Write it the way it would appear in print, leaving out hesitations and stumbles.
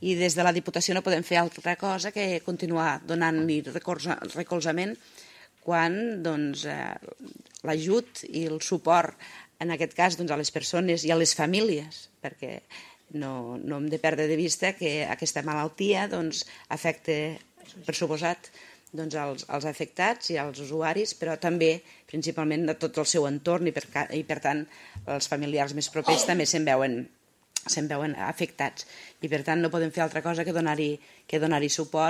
I des de la Diputació no podem fer altra cosa que continuar donant-li recolzament quan l'ajut i el suport, en aquest cas, a les persones i a les famílies, perquè no hem de perdre de vista que aquesta malaltia afecta, per suposat, als afectats i als usuaris, però també, principalment, a tot el seu entorn i, per tant, els familiars més propers també se'n veuen afectats. I, per tant, no podem fer altra cosa que donar-hi suport